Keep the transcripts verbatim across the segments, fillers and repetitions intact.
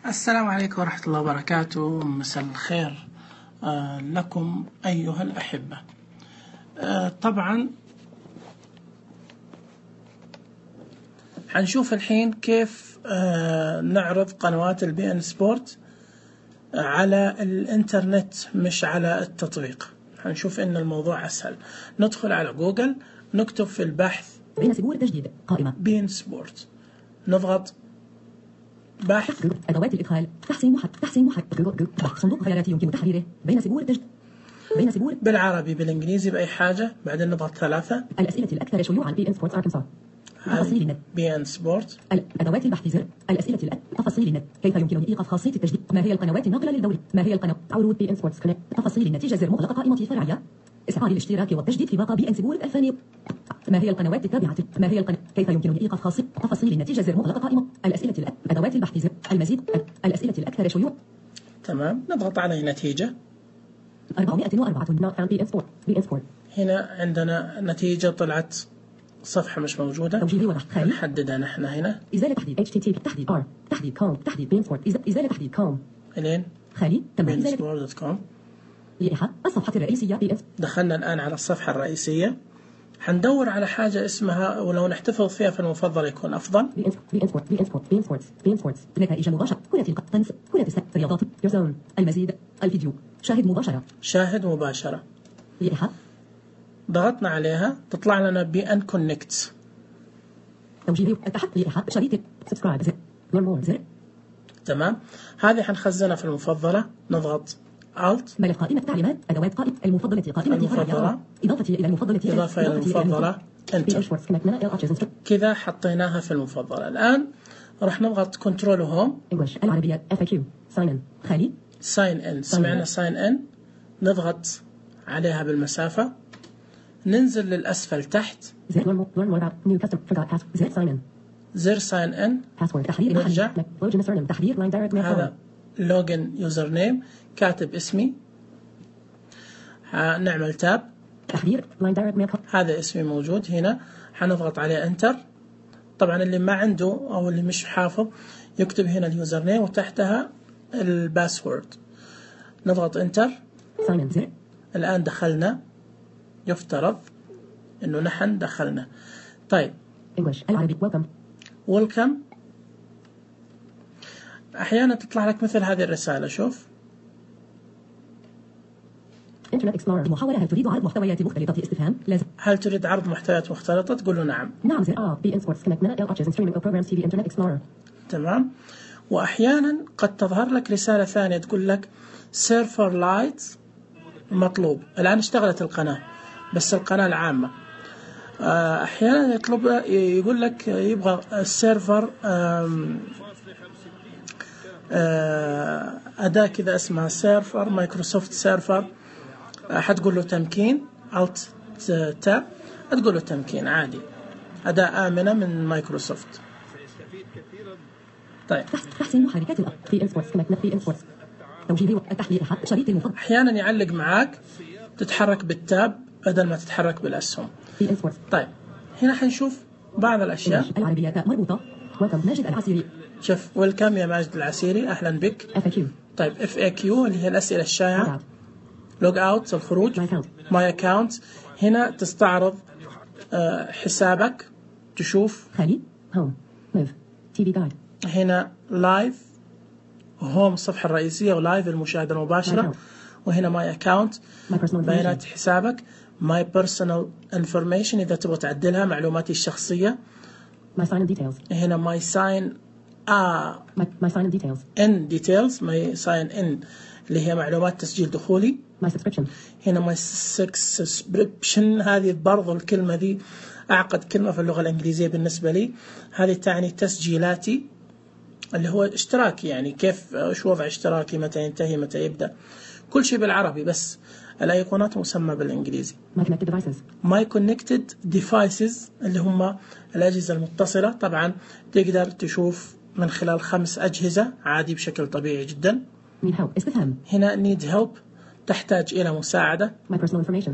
السلام عليكم ورحمة الله وبركاته. مساء الخير آه لكم أيها الأحبة. آه طبعا حنشوف الحين كيف آه نعرض قنوات البي ان سبورت آه على الانترنت مش على التطبيق. حنشوف ان الموضوع اسهل. ندخل على جوجل، نكتب في البحث بين سبور تجديد قائمة بي ان سبورت، نضغط بحث أدوات الإدخال، تحسين محرك تحسين محرك صندوق خيارات يمكن تحريره. بين سبور تجديد بين سبور بالعربي بالإنجليزي بأي حاجة، بعدين نضغط ثلاثة. الأسئلة الأكثر شيوعا بي ان سبورت أركنسا. تفاصيل النت بي ان سبورت. أدوات البحث زر. الأسئلة الأ... تفاصيل النت. كيف يمكنني إيقاف خاصية التجديد؟ ما هي القنوات الناقلة للدوري؟ ما هي القناة عروض بي ان سبورتس كونكت؟ تفاصيل النتيجة زر مغلقة قائمة فرعية. إسعار الاشتراك والتجديد في باقة بي ان سبورت الثانية. ما هي القنوات التابعة؟ ما هي القناة؟ كيف يمكنني إيقاف خاصية؟ تفاصيل النتيجة زر مغلقة قائمة. الأسئلة الأ... أدوات البحث زر. المزيد الأسئلة الأكثر شيوعا. تمام، نضغط على نتيجة أربعمائة وأربعة not found بي ان سبورت بي ان سبورت. هنا عندنا نتيجة طلعت صفحة مش موجودة. توجيهي واضح خالي. نحددها نحن هنا. إزالة تحديد اتش تي تي بي تحديد ار تحديد كوم تحديد بي ان سبورت إزالة تحديد كوم الين خالي تم إزالة بي ان سبورت دوت كوم. لائحة الصفحة الرئيسية بي ان. دخلنا الآن على الصفحة الرئيسية. حندور على حاجة اسمها، ولو نحتفظ فيها في المفضل يكون أفضل. بي ان بي ان سبورت بي ان سبورت بي ان سبورت بي ان سبورت نتائج مباشرة. كرة القدم كرة السلة رياضات يوزون. المزيد الفيديو شاهد مباشرة شاهد مباشرة. لائحة ضغطنا عليها تطلع لنا بي ان كونكت. توجيه التحت لائحة شريط سبسكرايب زر نورمال زر. تمام، هذه حنخزنها في المفضلة. نضغط Alt. ملف قائمة تعليمات أدوات قائمة المفضلة قائمة المفضلة. إضافة إلى المفضلة إضافة إلى المفضلة. انتر. كذا حطيناها في المفضلة. الآن راح نضغط كنترول وهوم. English العربية اف كيو sign in خالي. sign in. سمعنا sign in. نضغط عليها بالمسافة. ننزل للأسفل تحت. زر normal normal new custom forgot password زر sign in. زر sign in. password تحرير نرجع. login username تحرير line direct mail. هذا لوجن يوزر نيم، كاتب اسمي. نعمل تاب. تحرير line direct mail. هذا اسمي موجود هنا. حنضغط عليه انتر. طبعا اللي ما عنده او اللي مش حافظ يكتب هنا اليوزر نيم وتحتها الباسورد. نضغط انتر. sign in زر. الآن دخلنا، يفترض انه نحن دخلنا. طيب English العربي welcome. welcome. احيانا تطلع لك مثل هذه الرسالة. شوف انترنت اكسبلورر محاولة. هل تريد عرض محتويات مختلطة استفهام؟ لازم. هل تريد عرض محتويات مختلطة؟ تقول له نعم. نعم زر اه بي ان سبورتس كونكت من ال اتشز ستريمينج بروجرامز تي في انترنت اكسبلورر. تمام. واحيانا قد تظهر لك رسالة ثانية تقول لك سيرفر لايت مطلوب. الآن اشتغلت القناة بس القناة العامة. احيانا يطلب يقول لك يبغى السيرفر أداة كذا اسمها سيرفر مايكروسوفت سيرفر. حتقول له تمكين Alt تاب. تقول له تمكين عادي. أداة آمنة من مايكروسوفت. طيب تحسين محركات الأب بي ان سبورتس كونكت بي ان سبورتس. توجيه التحليل شريط المفضل. أحيانا يعلق معاك تتحرك بالتاب بدل ما تتحرك بالأسهم. بي ان سبورتس. طيب هنا حنشوف بعض الأشياء. العربية مربوطة. ويلكم ماجد العسيري. شوف ويلكم يا ماجد العسيري، أهلا بك. اف كيو. طيب اف اي كيو اللي هي الأسئلة الشائعة. لوج اوت الخروج. ماي اكاونت. هنا تستعرض آه حسابك، تشوف خالي هوم ليف تي في جايد. هنا لايف هوم الصفحة الرئيسية، ولايف المشاهدة المباشرة. وهنا ماي اكاونت بيانات حسابك. ماي بيرسونال انفورميشن إذا تبغى تعدلها معلوماتي الشخصية. ماي ساين ديتيلز. هنا ماي ساين آه ماي ساين ديتيلز. ان ديتيلز ماي ساين ان اللي هي معلومات تسجيل دخولي. ماي سبسكريبشن. هنا ماي سبسكريبشن. هذه برضو الكلمة دي أعقد كلمة في اللغة الإنجليزية بالنسبة لي. هذه تعني تسجيلاتي اللي هو اشتراكي، يعني كيف شو وضع اشتراكي، متى ينتهي متى يبدأ، كل شيء بالعربي بس الأيقونات مسمى بالإنجليزي. ماي كونكتد ديفايسز. ماي كونكتد ديفايسز اللي هم الأجهزة المتصلة. طبعا تقدر تشوف من خلال خمس أجهزة عادي بشكل طبيعي جدا. need help استفهام. هنا need help تحتاج إلى مساعدة. my personal information.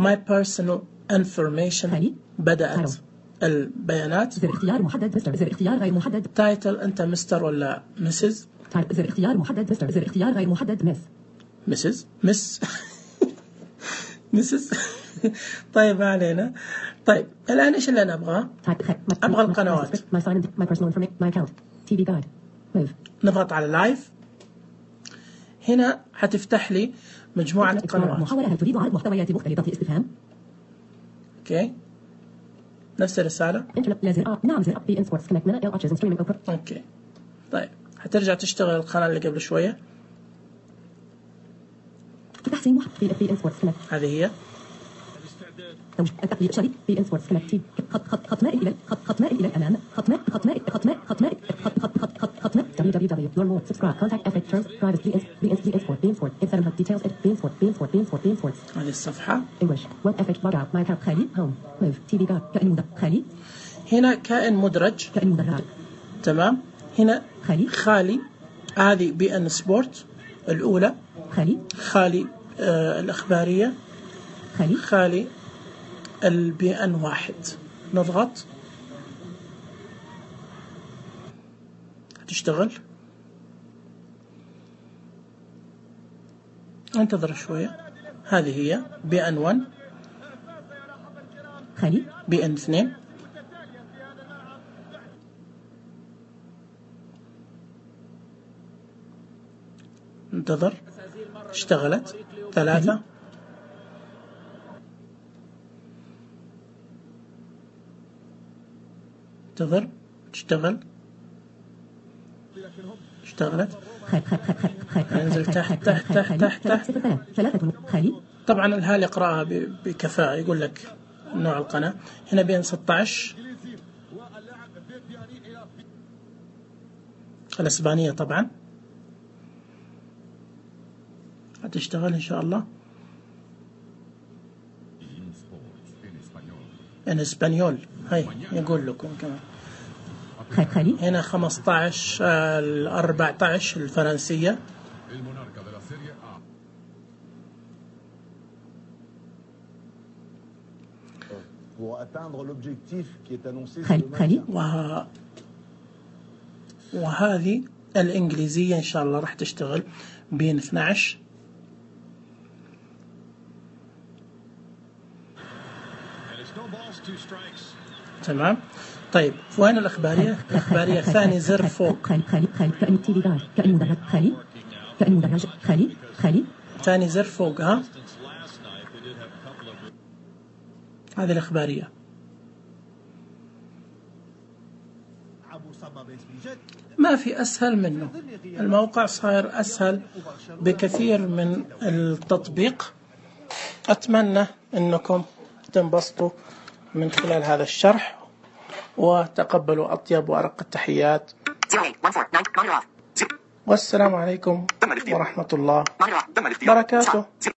my personal information. خالي. بدأت البيانات. زر اختيار محدد مستر. زر اختيار غير محدد. تايتل أنت مستر ولا مسز. زر اختيار محدد مستر. زر اختيار غير محدد مس. مسز مس مسز. طيب ما علينا. طيب الآن إيش اللي أنا أبغاه؟ أبغى القنوات. نضغط على لايف. هنا حتفتح لي مجموعة قنوات. محاولة هل تريد عرض محتويات مختلفة اسطفهام؟ اوكي نفس الرسالة. لازر نعم زر بي ان سبورتس كونكت من ال اتشز ستريمينج اوبر. اوكي طيب حترجع تشتغل القناة اللي قبل شوية. تحسين محتوى بي ان سبورتس كونكت. هذه هي. التقليد شريك بي ان سبورتس كونكت. خط خط خط مائل الى خط خط مائل الى الامام. خط مائل خط مائل خط مائل خط مائل خط خط خط خط خط مائل دبليو دبليو دبليو your more subscribe contact effect terms private بي ان بي ان بي ان sport بي ان sport seven hundred details بي ان sport بي ان sport بي ان sport بي ان sport. هذه الصفحة. English web effect log out my account خالي home move تي في guard كائن مدرج خالي. هنا كائن مدرج. كائن مدرج. تمام. هنا خالي. خالي. هذه بي ان سبورت الأولى. خالي. خالي آه الإخبارية. خالي. خالي البي ان واحد. نضغط تشتغل. انتظر شوية. هذه هي بي ان واحد. خالي. بي ان اثنين. انتظر. اشتغلت. ثلاثة. انتظر. تشتغل. اشتغلت. انزل تحت تحت تحت تحت تحت. طبعا الهالي يقرأها بكفاءة. يقول لك نوع القناة. هنا بين ستة عشر الإسبانية طبعا. هتشتغل إن شاء الله. إن إسبانيول. هاي يقول لكم كمان. هنا خمسة عشر أربعة عشر الفرنسية. وه... وهذه الإنجليزية إن شاء الله راح تشتغل بين اثني عشر. تمام. طيب وين الإخبارية؟ الإخبارية ثاني زر فوق. خالي خالي خالي كائن تي في جايد كائن مدرج خالي كائن مدرج خالي خالي. ثاني زر فوق. ها هذه الإخبارية. ما في أسهل منه. الموقع صاير أسهل بكثير من التطبيق. أتمنى أنكم تنبسطوا من خلال هذا الشرح وتقبلوا أطيب وأرق التحيات. والسلام عليكم ورحمة الله وبركاته.